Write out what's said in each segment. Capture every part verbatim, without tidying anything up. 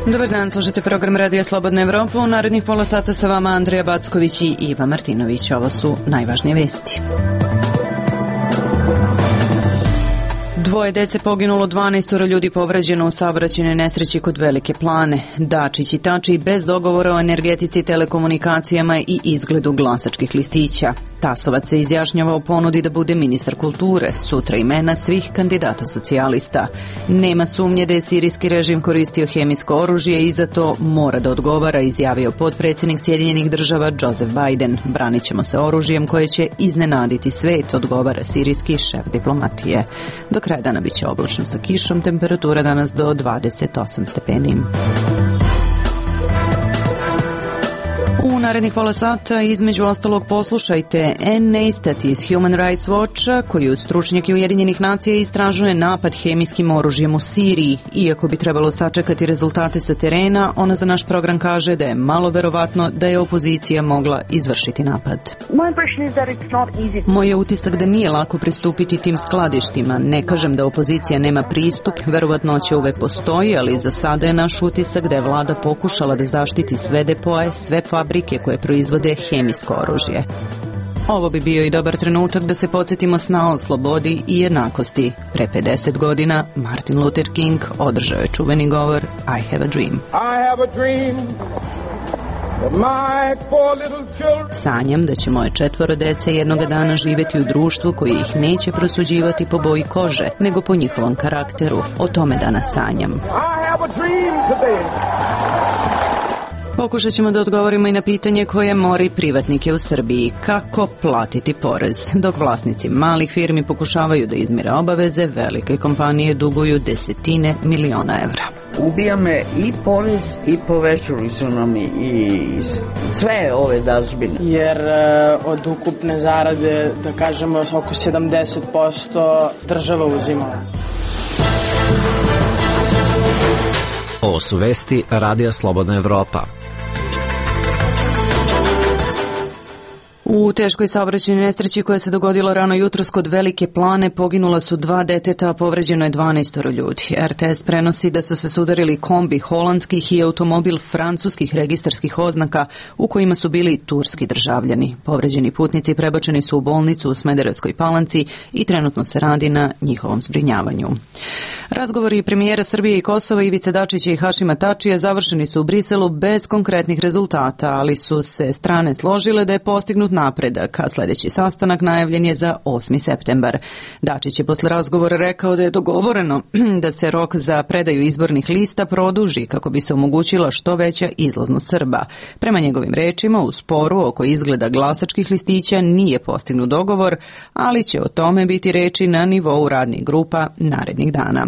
Dobar dan, slušate program Radija Slobodna Evropa. U narednih pola sata sa vama Andrija Backović i Iva Martinović. Ovo su najvažnije vesti. Dvoje dece poginulo, dvanaestoro ljudi povređeno u saobraćajnoj nesreći kod Velike Plane. Dačić i Tači bez dogovora o energetici, telekomunikacijama i izgledu glasačkih listića. Tasovac se izjašnjava o ponudi da bude ministar kulture. Sutra imena svih kandidata socijalista. Nema sumnje da je sirijski režim koristio hemijsko oružje i za to mora da odgovara, izjavio potpredsjednik Sjedinjenih država Joseph Biden. Branit ćemo se oružjem koje će iznenaditi svet, odgovara sirijski šef diplomatije. Do kraja dana bit će oblačno sa kišom, temperatura danas do dvadeset osam stepeni. U narednih pola sata između ostalog poslušajte Ann Neistat iz Human Rights Watcha, koju stručnjak Ujedinjenih nacija istražuje napad hemijskim oružjem u Siriji. Iako bi trebalo sačekati rezultate sa terena, ona za naš program kaže da je malo verovatno da je opozicija mogla izvršiti napad. Moj je utisak da nije lako pristupiti tim skladištima. Ne kažem da opozicija nema pristup, verovatnoća uvek postoji, ali za sada je naš utisak da je vlada pokušala da zaštiti sve depoje, sve fabrike koje proizvode hemijsko oružje. Ovo bi bio i dobar trenutak da se podsjetimo sna o slobodi i jednakosti. Pre pedeset godina Martin Luther King održao je čuveni govor I have a dream. I have a dream. Sanjam da će moje četvoro dece jednoga dana živjeti u društvu koje ih neće prosuđivati po boji kože, nego po njihovom karakteru. O tome danas sanjam. Pokušat ćemo da odgovorimo i na pitanje koje mori privatnike u Srbiji. Kako platiti porez? Dok vlasnici malih firmi pokušavaju da izmire obaveze, velike kompanije duguju desetine miliona evra. Ubija me i porez i povećali su nam i sve ove dažbine. Jer e, od ukupne zarade, da kažemo, oko sedamdeset posto država uzima. Ovo su vesti Radija Slobodna Evropa. U teškoj saobraćajnoj nesreći koja se dogodila rano jutros kod Velike Plane poginula su dva deteta, a povređeno je dvanaestoro ljudi. R T S prenosi da su se sudarili kombi holandskih i automobil francuskih registarskih oznaka u kojima su bili turski državljani. Povređeni putnici prebačeni su u bolnicu u Smederevskoj Palanci i trenutno se radi na njihovom zbrinjavanju. Razgovori premijera Srbije i Kosova Ivice Dačića i Hašima Tačija završeni su u Briselu bez konkretnih rezultata, ali su se strane složile da je postignut napredak, a sljedeći sastanak najavljen je za osmi septembar. Dačić je posle razgovora rekao da je dogovoreno da se rok za predaju izbornih lista produži kako bi se omogućila što veća izlaznost Srba. Prema njegovim rečima, u sporu oko izgleda glasačkih listića nije postignut dogovor, ali će o tome biti reči na nivou radnih grupa narednih dana.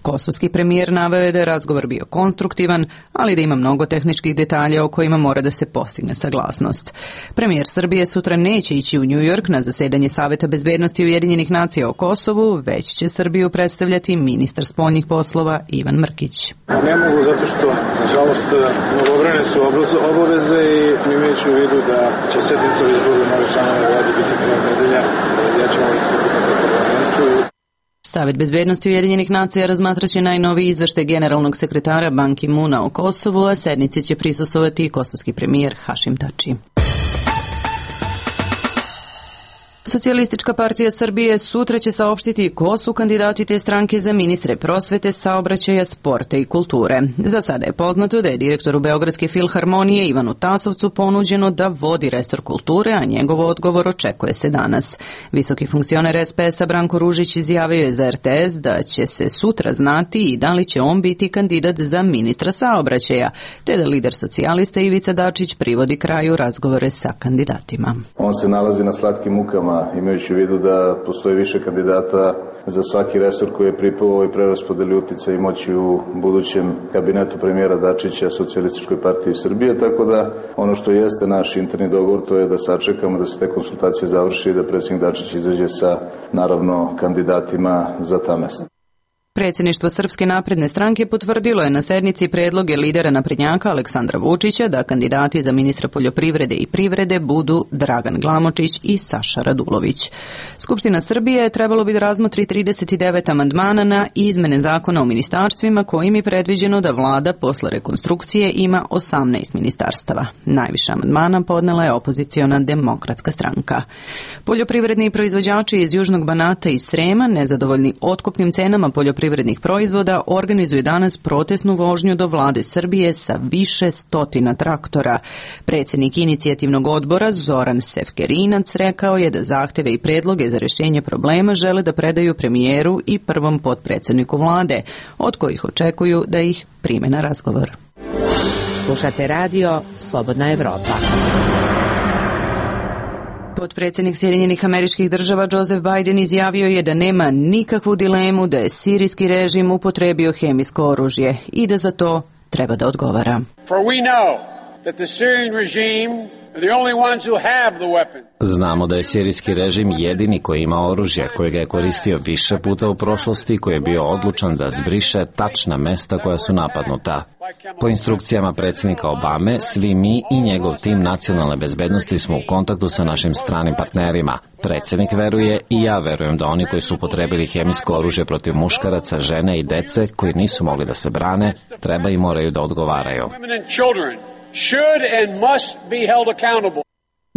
Kosovski premijer naveo je da je razgovor bio konstruktivan, ali da ima mnogo tehničkih detalja o kojima mora da se postigne saglasnost. Premijer Srbije sutra neće ići u New York na zasedanje Saveta bezbednosti Ujedinjenih nacija o Kosovu, već će Srbiju predstavljati ministar spoljnih poslova Ivan Mrkić. Ne mogu zato što, nažalost, mnogobrojne su obaveze i imajući u vidu da će sednica u izboru nove članove vlade biti krajem nedelja, ja ćemo ih u parlamentu. Savet bezbednosti Ujedinjenih nacija razmatraće najnoviji izveštaj generalnog sekretara Ban Ki-moona o Kosovu, a sednici će prisustvovati i kosovski premijer Hašim Tači. Socijalistička partija Srbije sutra će saopštiti ko su kandidati te stranke za ministre prosvete, saobraćaja, sporta i kulture. Za sada je poznato da je direktoru Beogradske filharmonije Ivanu Tasovcu ponuđeno da vodi resor kulture, a njegov odgovor očekuje se danas. Visoki funkcioner S P S-a Branko Ružić izjavio je za R T S da će se sutra znati i da li će on biti kandidat za ministra saobraćaja, te da lider socijalista Ivica Dačić privodi kraju razgovore sa kandidatima. On se nalazi na slatkim mukama, imajući u vidu da postoji više kandidata za svaki resor koji je pripao ovoj preraspodeli uticaja i moći u budućem kabinetu premijera Dačića Socijalističkoj partiji Srbije, tako da ono što jeste naš interni dogovor to je da sačekamo da se te konsultacije završi i da predsjednik Dačić izađe sa, naravno, kandidatima za ta mesta. Predsjedništvo Srpske napredne stranke potvrdilo je na sednici predloge lidera naprednjaka Aleksandra Vučića da kandidati za ministra poljoprivrede i privrede budu Dragan Glamočić i Saša Radulović. Skupština Srbije trebalo bi da razmotri trideset devet amandmana na izmene zakona o ministarstvima kojim je predviđeno da vlada posle rekonstrukcije ima osamnaest ministarstava. Najviše amandmana podnela je opoziciona Demokratska stranka. Poljoprivredni proizvođači iz Južnog Banata i Srema, nezadovoljni otkupnim cenama poljoprivrednih privrednih proizvoda, organizuju danas protesnu vožnju do vlade Srbije sa više stotina traktora. Predsjednik inicijativnog odbora Zoran Sefkerinac rekao je da zahteve i predloge za rješenje problema žele da predaju premijeru i prvom potpredsjedniku vlade, od kojih očekuju da ih prime na razgovor. Slušate radio Slobodna Evropa. Potpredsjednik Sjedinjenih Američkih Država Joseph Biden izjavio je da nema nikakvu dilemu da je sirijski režim upotrebio hemijsko oružje i da za to treba da odgovara. For we know that the Syrian regime are the only ones who have the weapons. Znamo da je sirijski režim jedini koji ima oružje, koje ga je koristio više puta u prošlosti i koji je bio odlučan da zbriše tačna mesta koja su napadnuta. Po instrukcijama predsjednika Obame, svi mi i njegov tim nacionalne bezbednosti smo u kontaktu sa našim stranim partnerima. Predsjednik veruje i ja verujem da oni koji su upotrebili hemijsko oružje protiv muškaraca, žene i dece koji nisu mogli da se brane, treba i moraju da odgovaraju.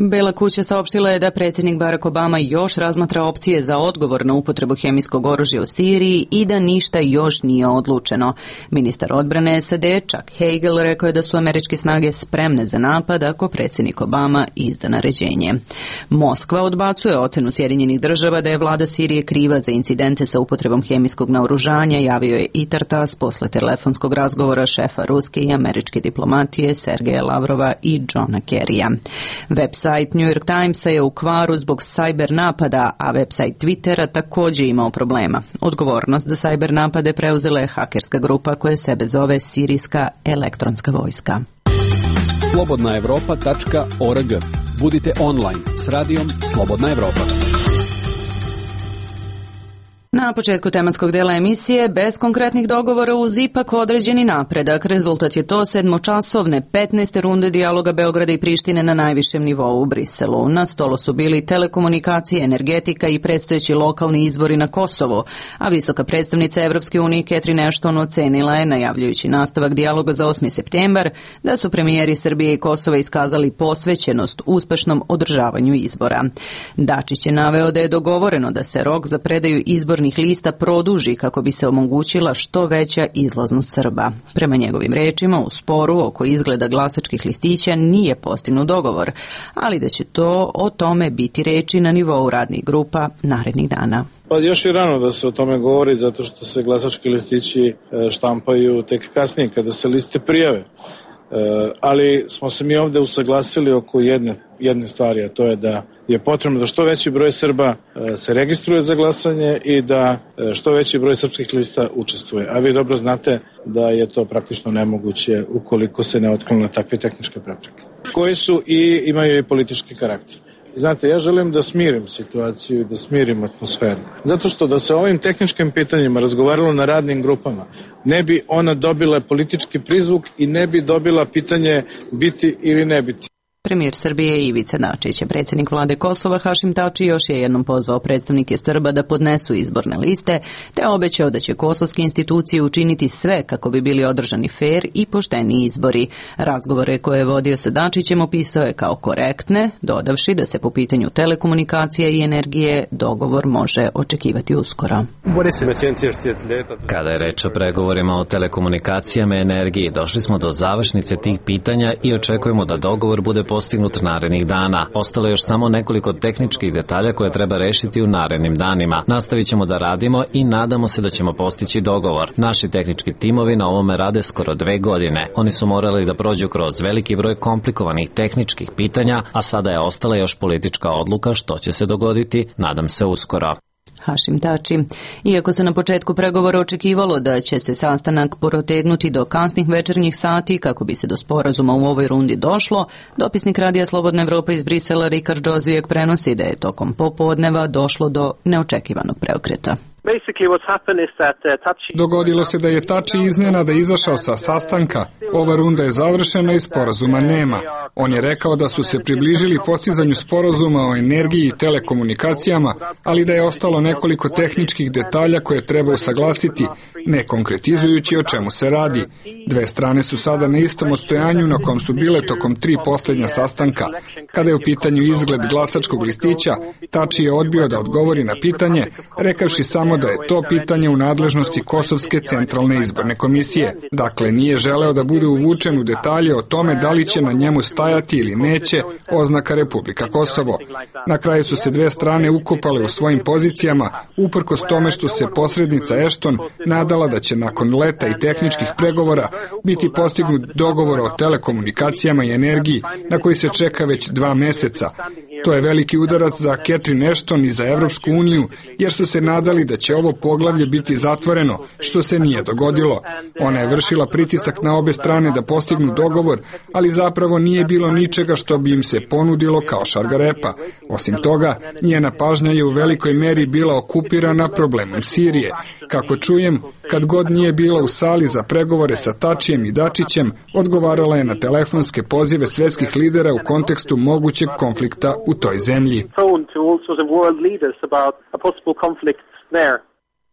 Bela kuća saopštila je da predsjednik Barack Obama još razmatra opcije za odgovor na upotrebu hemijskog oružja u Siriji i da ništa još nije odlučeno. Ministar odbrane S A D Chuck Hagel rekao je da su američke snage spremne za napad ako predsjednik Obama izda naređenje. Moskva odbacuje ocenu Sjedinjenih Država da je vlada Sirije kriva za incidente sa upotrebom hemijskog naoružanja, javio je i Tartas posle telefonskog razgovora šefa ruske i američke diplomatije Sergeja Lavrova i Johna Kerrya. Website New York Timesa je u kvaru zbog sajber napada, a website Twittera također imao problema. Odgovornost za sajber napade preuzela je hakerska grupa koja sebe zove Sirijska elektronska vojska. slobodna evropa tačka org. Budite online s radijom Slobodna Evropa. Na početku tematskog dela emisije, bez konkretnih dogovora uz ipak određeni napredak. Rezultat je to sedmočasovne petnaeste runde dijaloga Beograda i Prištine na najvišem nivou u Briselu. Na stolu su bili telekomunikacije, energetika i predstojeći lokalni izbori na Kosovu, a visoka predstavnica Evropske unije Catherine Ashton ocenila je, najavljujući nastavak dijaloga za osmi septembar, da su premijeri Srbije i Kosova iskazali posvećenost uspešnom održavanju izbora. Dačić je naveo da je dogovoreno da se rok za predaju izbora lista produži kako bi se omogućila što veća izlaznost Srba. Prema njegovim rečima, u sporu oko izgleda glasačkih listića nije postignut dogovor, ali da će to o tome biti reči na nivou radnih grupa narednih dana. Pa još je rano da se o tome govori, zato što se glasački listići štampaju tek kasnije kada se liste prijave. Ali smo se mi ovde usaglasili oko jedne, jedne stvari, a to je da je potrebno da što veći broj Srba se registruje za glasanje i da što veći broj srpskih lista učestvuje. A vi dobro znate da je to praktično nemoguće ukoliko se ne otklone takve tehničke prepreke, koji su i imaju i politički karakter. Znate, ja želim da smirim situaciju i da smirim atmosferu. Zato što da se o ovim tehničkim pitanjima razgovaralo na radnim grupama, ne bi ona dobila politički prizvuk i ne bi dobila pitanje biti ili ne biti. Premijer Srbije Ivica Dačić, predsjednik vlade Kosova Hašim Tači još je jednom pozvao predstavnike Srba da podnesu izborne liste, te obećao da će kosovske institucije učiniti sve kako bi bili održani fer i pošteni izbori. Razgovore koje je vodio sa Dačićem opisao je kao korektne, dodavši da se po pitanju telekomunikacija i energije dogovor može očekivati uskoro. Kada je reč o pregovorima o telekomunikacijama i energiji, došli smo do završnice tih pitanja i očekujemo da dogovor bude postignut narednih dana. Ostalo je još samo nekoliko tehničkih detalja koje treba rešiti u narednim danima. Nastavit ćemo da radimo i nadamo se da ćemo postići dogovor. Naši tehnički timovi na ovome rade skoro dve godine. Oni su morali da prođu kroz veliki broj komplikovanih tehničkih pitanja, a sada je ostala još politička odluka što će se dogoditi, nadam se uskoro. Hašim Tači. Iako se na početku pregovora očekivalo da će se sastanak protegnuti do kasnih večernjih sati kako bi se do sporazuma u ovoj rundi došlo, dopisnik Radija Slobodna Evropa iz Brisela Rikard Džozijek prenosi da je tokom popodneva došlo do neočekivanog preokreta. Dogodilo se da je Tači iznenada izašao sa sastanka. Ova runda je završena i sporazuma nema. On je rekao da su se približili postizanju sporazuma o energiji i telekomunikacijama, ali da je ostalo nekoliko tehničkih detalja koje treba usaglasiti, ne konkretizujući o čemu se radi. Dve strane su sada na istom odstojanju na kom su bile tokom tri poslednja sastanka. Kada je u pitanju izgled glasačkog listića, Tači je odbio da odgovori na pitanje, rekavši samo da je to pitanje u nadležnosti Kosovske centralne izborne komisije. Dakle, nije želeo da bude uvučen u detalje o tome da li će na njemu stajati ili neće oznaka Republika Kosovo. Na kraju su se dve strane ukopale u svojim pozicijama, uprkos tome što se posrednica Ashton nadala da će nakon leta i tehničkih pregovora biti postignut dogovor o telekomunikacijama i energiji na koji se čeka već dva meseca. To je veliki udarac za Catherine Ashton i za Evropsku uniju, jer su se nadali da će ovo poglavlje biti zatvoreno, što se nije dogodilo. Ona je vršila pritisak na obe strane da postignu dogovor, ali zapravo nije bilo ničega što bi im se ponudilo kao šargarepa. Osim toga, njena pažnja je u velikoj meri bila okupirana problemom Sirije. Kako čujem, kad god nije bila u sali za pregovore sa Tačijem i Dačićem, odgovarala je na telefonske pozive svetskih lidera u kontekstu mogućeg konflikta u toj zemlji.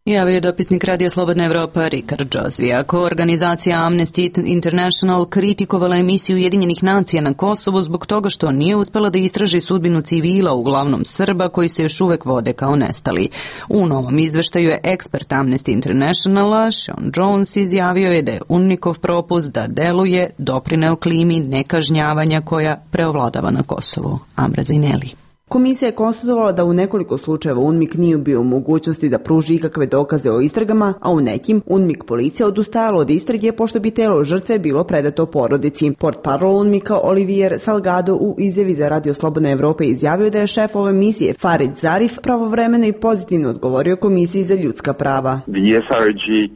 Javio je dopisnik Radija Slobodna Evropa Rikard Džozvi. Ako organizacija Amnesty International kritikovala emisiju Ujedinjenih nacija na Kosovu zbog toga što nije uspela da istraži sudbinu civila, uglavnom Srba, koji se još uvek vode kao nestali. U novom izveštaju je ekspert Amnesty Internationala Sean Jones izjavio je da je UNMIK-ov propust da deluje doprineo klimi nekažnjavanja koja preovladava na Kosovu. Amra Zineli. Komisija je konstatovala da u nekoliko slučajeva UNMIK nije bio u mogućnosti da pruži ikakve dokaze o istragama, a u nekim UNMIK policija odustajala od istrage pošto bi telo žrtve bilo predato porodici. Portparol UNMIK-a Olivier Salgado u izjavi za Radio Slobodna Evropa izjavio da je šef ove misije Farid Zarif pravovremeno i pozitivno odgovorio Komisiji za ljudska prava.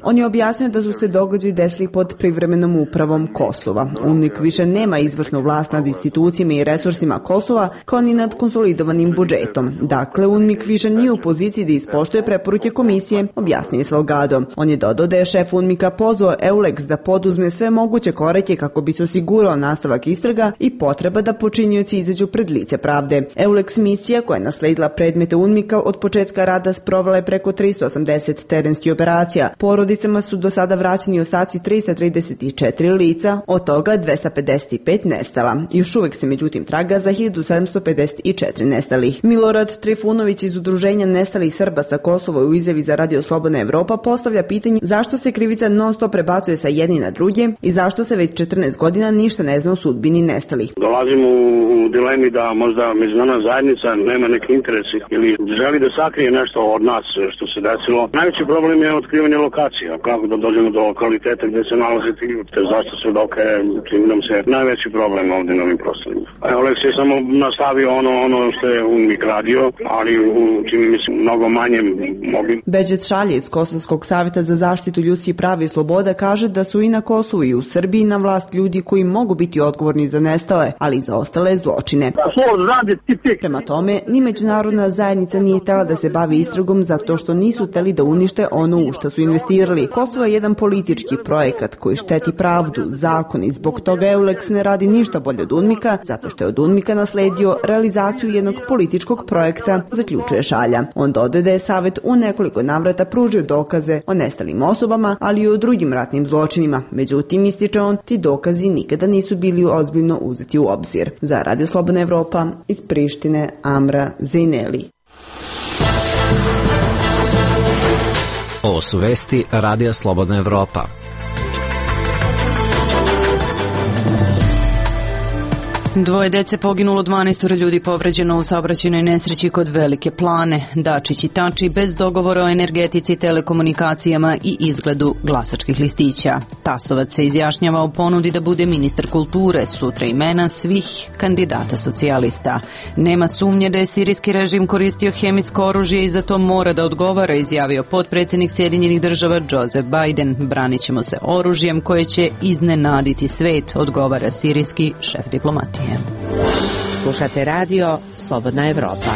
On je objasnio da su se događaji desili pod privremenom upravom Kosova. UNMIK više nema izvršnu vlast nad institucijama i resursima Kosova, kao ni nad konsolidovanjem budžetom. Dakle, UNMIK više nije u poziciji da ispoštuje preporuke komisije, objasnio je Salgado. On je dodao da je šef UNMIK-a pozvao EULEX da poduzme sve moguće korake kako bi se osigurao nastavak istraga i potreba da počinioci izađu pred lice pravde. EULEX misija, koja je nasledila predmete UNMIK-a od početka rada, sprovela je preko tristo osamdeset terenskih operacija. Porodicama su do sada vraćeni ostaci trista trideset četiri lica, od toga dvesta pedeset pet nestala. Još uvek se međutim traga za hiljadu sedamsto pedeset četiri nestalih. Milorad Trifunović iz Udruženja nestalih Srba sa Kosova u izjavi za Radio Slobodna Evropa postavlja pitanje zašto se krivica non stop prebacuje sa jedni na druge i zašto se već četrnaest godina ništa ne zna o sudbini nestalih. Dolazimo u dilemi da možda međunarodna zajednica nema neki interesi ili želi da sakrije nešto od nas što se desilo. Najveći problem je otkrivanje lokacija, kako da dođemo do lokaliteta gde se nalaze ti ljudi, zašto se doke, čini nam se najveći problem ovde na ovim prostorima. Oleks je samo nastavio ono, ono što je UNMIK radio, ali u čini mi se mnogo manje mogli. Beđet Šalje iz Kosovskog savjeta za zaštitu ljudskih prava i sloboda kaže da su i na Kosovu i u Srbiji na vlast ljudi koji mogu biti odgovorni za nestale, ali i za ostale zločine. Prema tome, ni međunarodna zajednica nije htela da se bavi istragom zato što nisu hteli da unište ono u što su investirali. Kosovo je jedan politički projekat koji šteti pravdu, zakon i zbog toga EULEX ne radi ništa bolje od UNMIK-a, zato što je od UNMIK-a nasledio realizaciju jednog političkog projekta, zaključuje Šalja. On dodaje da je savjet u nekoliko navrata pružio dokaze o nestalim osobama, ali i o drugim ratnim zločinima. Međutim, ističe on, ti dokazi nikada nisu bili ozbiljno uzeti u obzir. Za Radio Slobodna Evropa iz Prištine, Amra Zineli. Ovo su vesti Radija Slobodna Evropa. Dvoje dece poginulo, dvanaest ljudi povređeno u saobraćajnoj nesreći kod Velike Plane. Dačić i Tači bez dogovora o energetici, telekomunikacijama i izgledu glasačkih listića. Tasovac se izjašnjava o ponudi da bude ministar kulture, sutra imena svih kandidata socijalista. Nema sumnje da je sirijski režim koristio hemijsko oružje i za to mora da odgovara, izjavio potpredsjednik Sjedinjenih država Joseph Biden. Branit ćemo se oružjem koje će iznenaditi svet, odgovara sirijski šef diplomatije. Slušate radio Slobodna Evropa.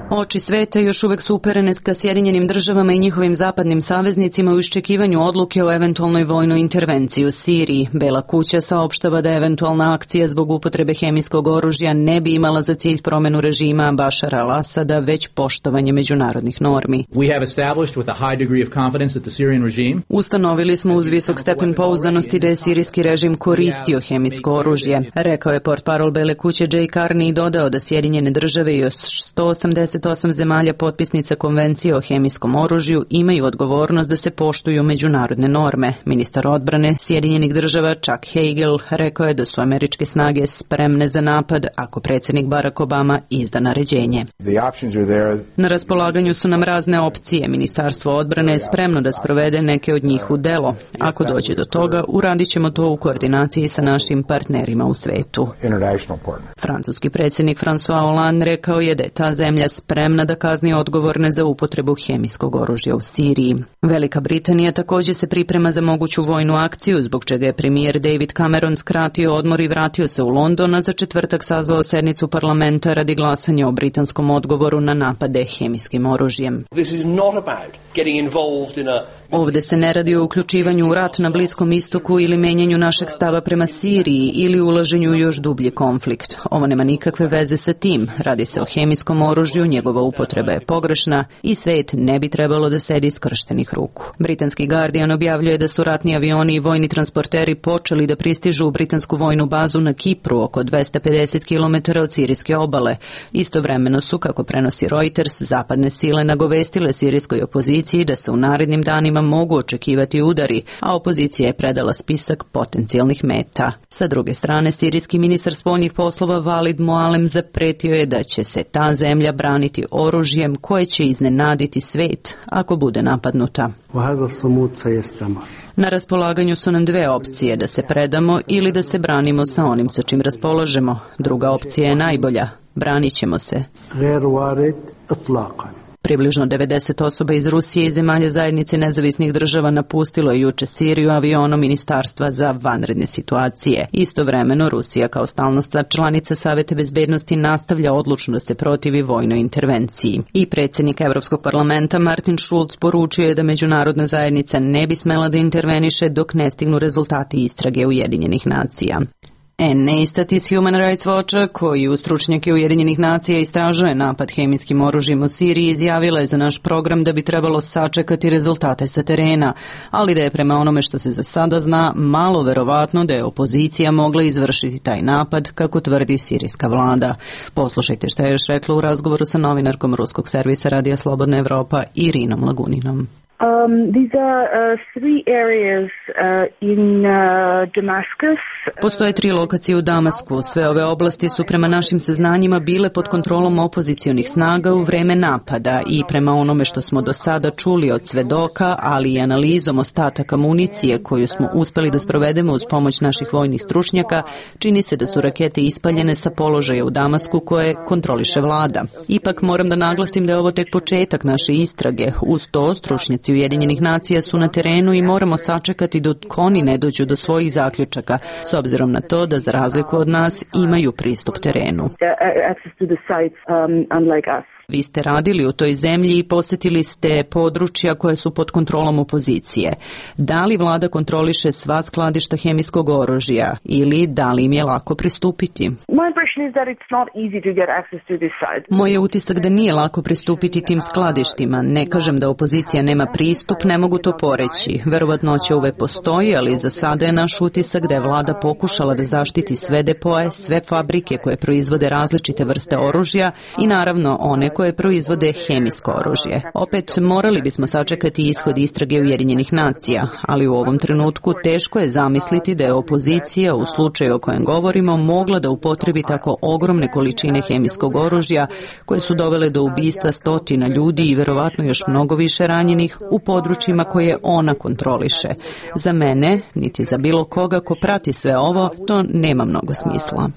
Oči sveta još uvek su uperene ka Sjedinjenim državama i njihovim zapadnim saveznicima u iščekivanju odluke o eventualnoj vojnoj intervenciji u Siriji. Bela kuća saopštava da eventualna akcija zbog upotrebe hemijskog oružja ne bi imala za cilj promenu režima Bašara al-Asada, već poštovanje međunarodnih normi. Ustanovili smo uz visok stepen pouzdanosti da je sirijski režim koristio hemijsko oružje, rekao je portparol Bele kuće Jay Carney i dodao da Sjedinjene države i još sto osamdeset osam zemalja potpisnica konvencije o hemijskom oružju imaju odgovornost da se poštuju međunarodne norme. Ministar odbrane Sjedinjenih država Chuck Hagel rekao je da su američke snage spremne za napad ako predsjednik Barack Obama izda naređenje. Na raspolaganju su nam razne opcije. Ministarstvo odbrane je spremno da sprovede neke od njih u delo. Ako dođe do toga, uradit ćemo to u koordinaciji sa našim partnerima u svetu. Francuski predsjednik François Hollande rekao je da je ta zemlja spremna da kazni odgovorne za upotrebu hemijskog oružja u Siriji. Velika Britanija također se priprema za moguću vojnu akciju, zbog čega je premijer David Cameron skratio odmor i vratio se u London, a za četvrtak sazvao sednicu parlamenta radi glasanja o britanskom odgovoru na napade hemijskim oružjem. Ovdje se ne radi o uključivanju u rat na Bliskom istoku ili menjanju našeg stava prema Siriji ili ulaženju u još dublji konflikt. Ovo nema nikakve veze sa tim. Radi se o hemijskom oružju, njegova upotreba je pogrešna i svet ne bi trebalo da sedi skrštenih ruku. Britanski Guardian objavljuje da su ratni avioni i vojni transporteri počeli da pristižu u britansku vojnu bazu na Kipru, oko dvesta pedeset kilometara od sirijske obale. Istovremeno su, kako prenosi Reuters, zapadne sile nagovestile sirijskoj opoziciji da se u narednim danima mogu očekivati udari, a opozicija je predala spisak potencijalnih meta. Sa druge strane, sirijski ministar spoljnih poslova Walid Mualem zapretio je da će se ta zemlja braniti oružjem koje će iznenaditi svet ako bude napadnuta. Na raspolaganju su nam dve opcije, da se predamo ili da se branimo sa onim sa čim raspolažemo. Druga opcija je najbolja. Branit ćemo se. Približno devedeset osoba iz Rusije i zemalja zajednice nezavisnih država napustilo je juče Siriju avionom Ministarstva za vanredne situacije. Istovremeno, Rusija kao stalna članica Saveta bezbednosti nastavlja odlučno da se protivi vojnoj intervenciji. I predsjednik Evropskog parlamenta Martin Schulz poručio je da međunarodna zajednica ne bi smela da interveniše dok ne stignu rezultati istrage Ujedinjenih nacija. Anne Neistat iz Human Rights Watcha, koji u stručnjake Ujedinjenih nacija istražuje napad hemijskim oružjem u Siriji, izjavila je za naš program da bi trebalo sačekati rezultate sa terena, ali da je prema onome što se za sada zna malo verovatno da je opozicija mogla izvršiti taj napad, kako tvrdi sirijska vlada. Poslušajte šta je još rekla u razgovoru sa novinarkom ruskog servisa Radija Slobodna Evropa Irinom Laguninom. Um, these are uh, three areas uh, in uh, Damascus. Postoje tri lokacije u Damasku. Sve ove oblasti su prema našim saznanjima bile pod kontrolom opozicionih snaga u vreme napada i prema onome što smo do sada čuli od svedoka, ali i analizom ostataka municije koju smo uspeli da sprovedemo uz pomoć naših vojnih stručnjaka, čini se da su rakete ispaljene sa položaja u Damasku koje kontroliše vlada. Ipak moram da naglasim da je ovo tek početak naše istrage. Uz to stručnjaci Ujedinjenih nacija su na terenu i moramo sačekati dok oni ne dođu do svojih zaključaka, s obzirom na to da za razliku od nas imaju pristup terenu. Vi ste radili u toj zemlji i posjetili ste područja koje su pod kontrolom opozicije. Da li vlada kontroliše sva skladišta hemijskog oružja ili da li im je lako pristupiti? Moj je utisak da nije lako pristupiti tim skladištima. Ne kažem da opozicija nema pristup, ne mogu to poreći. Verovatnoća uvek postoji, ali za sada je naš utisak da je vlada pokušala da zaštiti sve depoje, sve fabrike koje proizvode različite vrste oružja i naravno one koje proizvode hemijsko oružje. Opet, morali bismo sačekati ishod istrage Ujedinjenih nacija, ali u ovom trenutku teško je zamisliti da je opozicija, u slučaju o kojem govorimo, mogla da upotrebi tako ogromne količine hemijskog oružja koje su dovele do ubistva stotina ljudi i verovatno još mnogo više ranjenih u područjima koje ona kontroliše. Za mene, niti za bilo koga ko prati sve ovo, to nema mnogo smisla.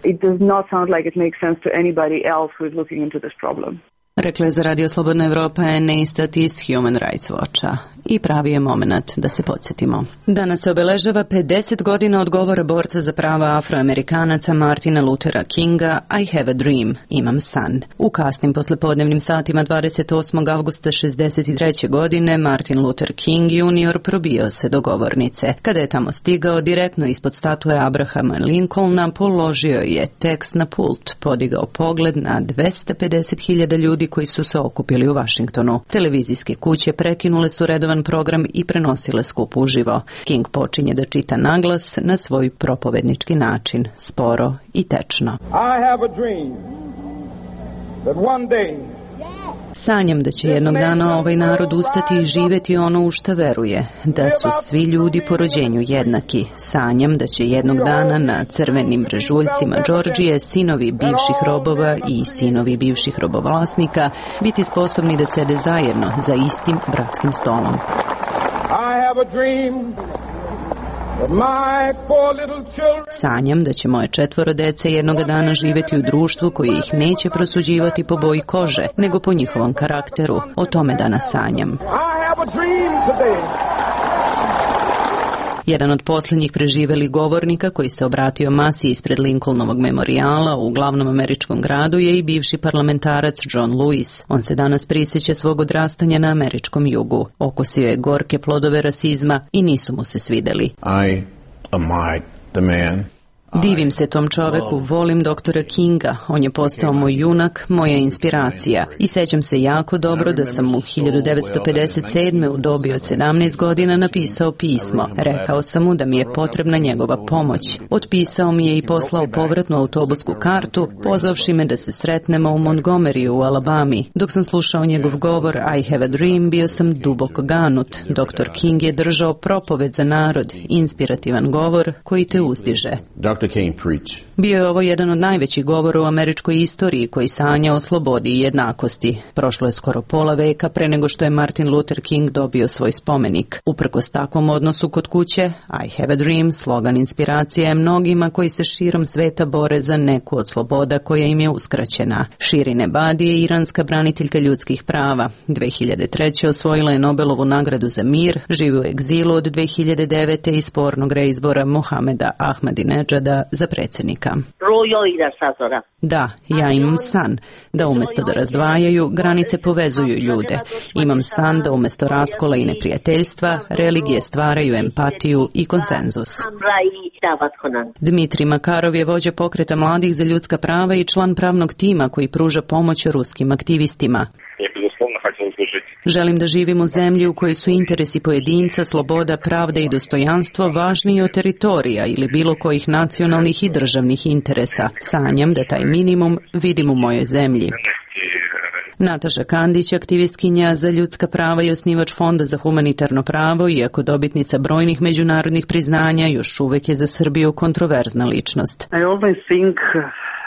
Rekla je za Radio Slobodna Evropa Ene Istat iz Human Rights Watcha. I pravi je moment da se podsjetimo. Danas se obeležava pedeset godina od govora borca za prava Afroamerikanaca Martina Luthera Kinga I have a dream, imam san. U kasnim poslepodnevnim satima dvadeset osmog avgusta šezdeset treće. godine Martin Luther King junior probio se do govornice. Kada je tamo stigao, direktno ispod statue Abrahama Lincolna položio je tekst na pult, podigao pogled na dvesta pedeset hiljada ljudi koji su se okupili u Vašingtonu. Televizijske kuće prekinule su redovan program i prenosile skup uživo. King počinje da čita naglas na svoj propovednički način, sporo i tečno. I have a dream that one day Sanjam da će jednog dana ovaj narod ustati i živeti ono u šta veruje, da su svi ljudi po rođenju jednaki. Sanjam da će jednog dana na crvenim brežuljcima Džordžije sinovi bivših robova i sinovi bivših robovlasnika biti sposobni da sede zajedno za istim bratskim stolom. I have a dream that my four little children Sanjam da će moje četvoro dece jednoga dana živjeti u društvu koje ih neće prosuđivati po boji kože, nego po njihovom karakteru. O tome danas sanjam. I have a dream today. Jedan od posljednjih preživelih govornika koji se obratio masi ispred Lincolnovog memorijala u glavnom američkom gradu je i bivši parlamentarac John Lewis. On se danas prisjeća svog odrastanja na američkom jugu. Okosio je gorke plodove rasizma i nisu mu se svideli. I am I, the man. Divim se tom čoveku, volim doktora Kinga, on je postao moj junak, moja inspiracija. I sećam se jako dobro da sam mu hiljadu devetsto pedeset sedme. u dobi od sedamnaest godina napisao pismo. Rekao sam mu da mi je potrebna njegova pomoć. Otpisao mi je i poslao povratnu autobusku kartu, pozvavši me da se sretnemo u Montgomeryu u Alabami. Dok sam slušao njegov govor I have a dream, bio sam duboko ganut. doktor King je držao propoved za narod, inspirativan govor koji te uzdiže. Bio je ovo jedan od najvećih govora u američkoj istoriji koji sanja o slobodi i jednakosti. Prošlo je skoro pola veka pre nego što je Martin Luther King dobio svoj spomenik. Uprkos takvom odnosu kod kuće, I have a dream, slogan inspiracije je mnogima koji se širom sveta bore za neku od sloboda koja im je uskraćena. Shirin Ebadi je iranska braniteljka ljudskih prava. dve hiljade treće. osvojila je Nobelovu nagradu za mir, živi u egzilu od dve hiljade devete. i spornog reizbora Mohameda Ahmadinejada za predsjednika. Da, ja imam san da umjesto da razdvajaju, granice povezuju ljude. Imam san da umjesto raskola i neprijateljstva, religije stvaraju empatiju i konsenzus. Dmitrij Makarov je vođa pokreta mladih za ljudska prava i član pravnog tima koji pruža pomoć ruskim aktivistima. Želim da živim u zemlji u kojoj su interesi pojedinca, sloboda, pravda i dostojanstvo važniji od teritorija ili bilo kojih nacionalnih i državnih interesa. Sanjam da taj minimum vidim u mojoj zemlji. Nataša Kandić, aktivistkinja za ljudska prava i osnivač Fonda za humanitarno pravo, iako dobitnica brojnih međunarodnih priznanja, još uvek je za Srbiju kontroverzna ličnost. I always think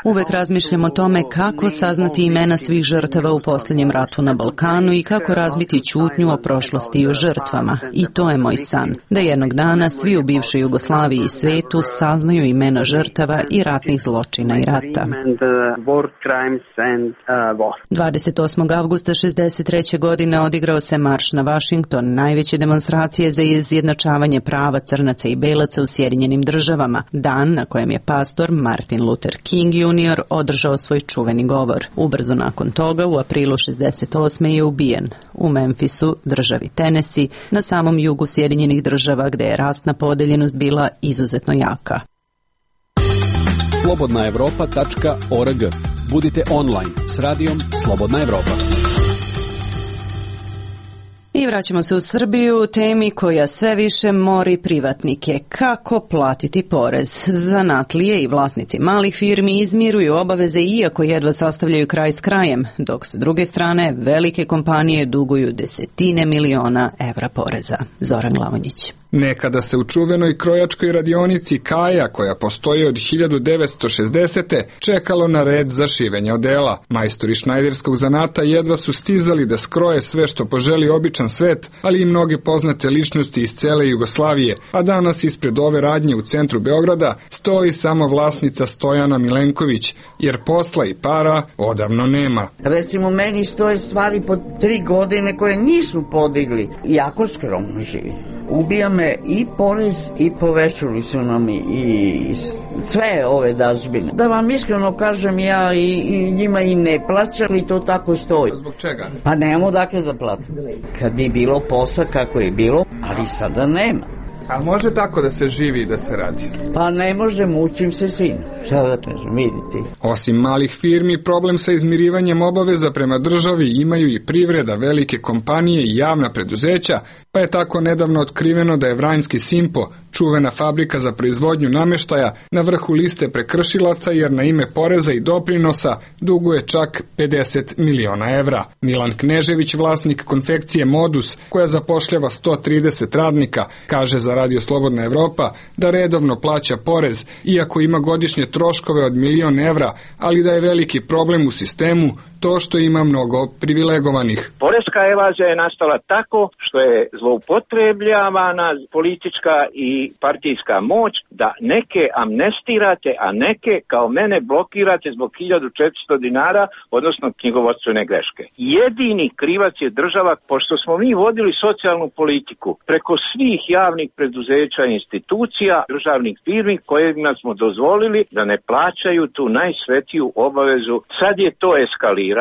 Uvek razmišljam o tome kako saznati imena svih žrtava u posljednjem ratu na Balkanu i kako razbiti ćutnju o prošlosti i o žrtvama. I to je moj san, da jednog dana svi u bivšoj Jugoslaviji i svetu saznaju imena žrtava i ratnih zločina i rata. dvadeset osmog avgusta šezdeset treće. godine odigrao se marš na Vašington, najveće demonstracije za izjednačavanje prava crnaca i belaca u Sjedinjenim državama, dan na kojem je pastor Martin Luther King junior održao svoj čuveni govor. Ubrzo nakon toga, u aprilu šezdeset osme. je ubijen u Memphisu, državi Tennessee, na samom jugu Sjedinjenih država, gde je rasna podeljenost bila izuzetno jaka. slobodna evropa tačka org. Budite online s radijom Slobodna Evropa. I vraćamo se u Srbiju, temi koja sve više mori privatnike. Kako platiti porez? Zanatlije i vlasnici malih firmi izmiruju obaveze iako jedva sastavljaju kraj s krajem, dok s druge strane velike kompanije duguju desetine miliona evra poreza. Zoran Glavonjić. Nekada se u čuvenoj krojačkoj radionici Kaja, koja postoji od hiljadu devetsto šezdesete. čekalo na red za šivenje odela. Majstori šnajderskog zanata jedva su stizali da skroje sve što poželi običan svet, ali i mnoge poznate ličnosti iz cele Jugoslavije, a danas ispred ove radnje u centru Beograda stoji samo vlasnica Stojana Milenković, jer posla i para odavno nema. Recimo, meni stoje stvari po tri godine koje nisu podigli. Jako skromno živi. Ubija me i porez i povećali su nam i, i sve ove dažbine. Da vam iskreno kažem, ja i, i njima i ne plaćam i to tako stoji. Zbog čega? Pa nemamo dakle da platim. Kad je bilo posla kako je bilo, ali sada nema. A može tako da se živi i da se radi? Pa ne može, mučim se sina. Šta da kažem, vidite. Osim malih firmi, problem sa izmirivanjem obaveza prema državi imaju i privreda, velike kompanije i javna preduzeća, pa je tako nedavno otkriveno da je Vranjski Simpo, čuvena fabrika za proizvodnju nameštaja, na vrhu liste prekršilaca jer na ime poreza i doprinosa duguje čak pedeset miliona evra. Milan Knežević, vlasnik konfekcije Modus, koja zapošljava sto trideset radnika, kaže za Radio Slobodna Evropa da redovno plaća porez, iako ima godišnje troškove od milion evra, ali da je veliki problem u sistemu to što ima mnogo privilegovanih. Poreska evazija je nastala tako što je zloupotrebljavana politička i partijska moć da neke amnestirate, a neke kao mene blokirate zbog hiljadu četiristo dinara, odnosno knjigovodstvene greške. Jedini krivac je država, pošto smo mi vodili socijalnu politiku preko svih javnih preduzeća i institucija, državnih firmi kojima smo dozvolili da ne plaćaju tu najsvetiju obavezu. Sad je to eskalirano.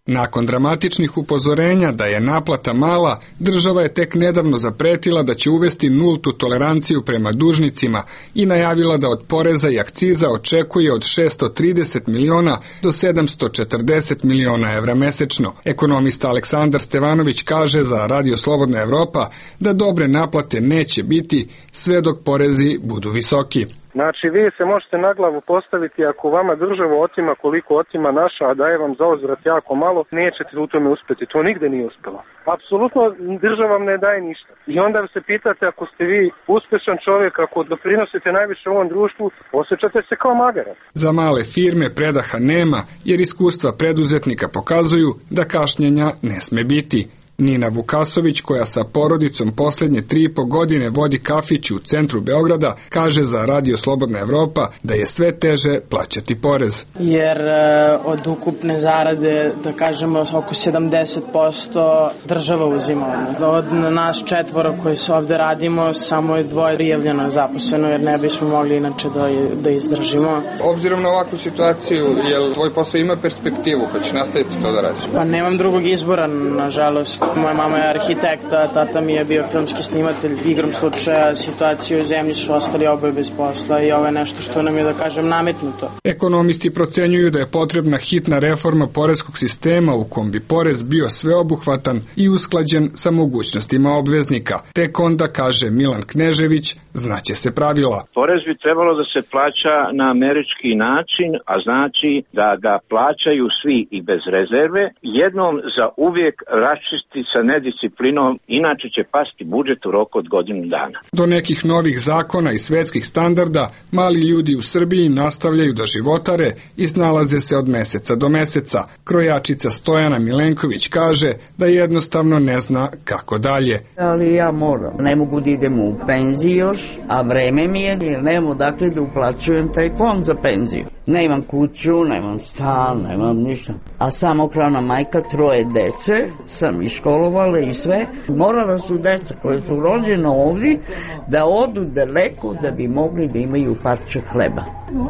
Nakon dramatičnih upozorenja da je naplata mala, država je tek nedavno zapretila da će uvesti nultu toleranciju prema dužnicima i najavila da od poreza i akciza očekuje od šessto trideset miliona do sedamsto četrdeset miliona evra mesečno. Ekonomista Aleksandar Stevanović kaže za Radio Slobodna Evropa da dobre naplate neće biti sve dok porezi budu visoki. Znači, vi se možete na glavu postaviti ako vama država otima koliko otima naša, a daje vam za uzvrat jako malo, nećete u tome uspjeti. To nigde nije uspjelo. Apsolutno država vam ne daje ništa. I onda se pitate, ako ste vi uspešan čovjek, ako doprinosite najviše ovom društvu, osjećate se kao magarac. Za male firme predaha nema, jer iskustva preduzetnika pokazuju da kašnjenja ne sme biti. Nina Vukasović, koja sa porodicom posljednje tri i po godine vodi kafić u centru Beograda, kaže za Radio Slobodna Evropa da je sve teže plaćati porez. Jer e, od ukupne zarade, da kažemo, oko sedamdeset posto država uzima. Od nas četvoro koji se ovde radimo, samo je dvoje prijavljeno zaposleno, jer ne bismo mogli inače da, da izdržimo. Obzirom na ovakvu situaciju, jel tvoj posao ima perspektivu, hoćeš nastaviti to da radiš? Pa nemam drugog izbora, nažalost. Moja mama je arhitekta, tata mi je bio filmski snimatelj. Igrom slučaja situacije u zemlji su ostali oboje bez posla i ovo je nešto što nam je, da kažem, nametnuto. Ekonomisti procenjuju da je potrebna hitna reforma poreskog sistema u kom bi porez bio sveobuhvatan i usklađen sa mogućnostima obveznika. Tek onda, kaže Milan Knežević, znaće se pravila. Porez bi trebalo da se plaća na američki način, a znači da ga plaćaju svi i bez rezerve. Jednom za uvijek raščisti sa nedisciplinom, inače će pasti budžet u roku od godinu dana. Do nekih novih zakona i svetskih standarda, mali ljudi u Srbiji nastavljaju da životare i snalaze se od meseca do meseca. Krojačica Stojana Milenković kaže da jednostavno ne zna kako dalje. Ali ja moram, ne mogu da idem u penziju još, a vreme mi je, jer nemam odakle da uplaćujem taj fond za penziju. Nemam kuću, nemam stan, nemam ništa. A samohrana majka, troje dece, sam i školovala i sve. Morala su deca koje su rođena ovdje da odu daleko da bi mogli da imaju parče hleba.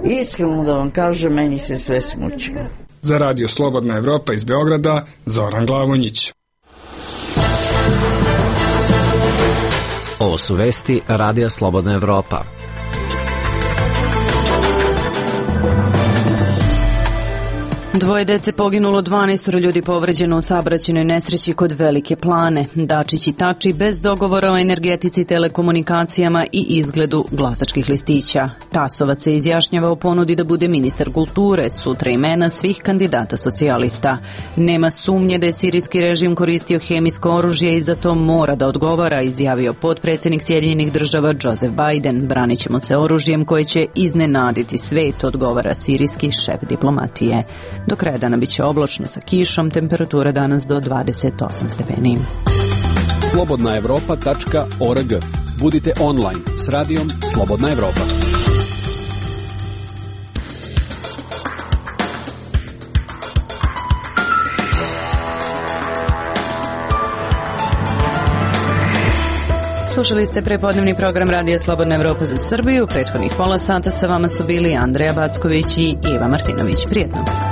Iskreno da vam kažem, meni se sve smučilo. Za Radio Slobodna Evropa iz Beograda, Zoran Glavonjić. Ovo su vesti Radija Slobodna Evropa. Dvoje dece poginulo, dvanaestoro ljudi povređeno u saobraćajnoj nesreći kod Velike Plane. Dačić i Tači bez dogovora o energetici, telekomunikacijama i izgledu glasačkih listića. Tasovac se izjašnjava o ponudi da bude ministar kulture, sutra imena svih kandidata socijalista. Nema sumnje da je sirijski režim koristio hemijsko oružje i za to mora da odgovara, izjavio potpredsjednik Sjedinjenih država Joseph Biden. Branit ćemo se oružjem koje će iznenaditi svet, odgovara sirijski šef diplomatije. Do kraja dana biće oblačno sa kišom, temperatura danas do dvadeset osam stepeni. slobodna evropa tačka org. Budite online s radijom Slobodna Evropa. Slušali ste prepodnevni program Radija Slobodna Evropa za Srbiju. Prethodnih pola sata sa vama su bili Andreja Backović i Iva Martinović. Prijetno.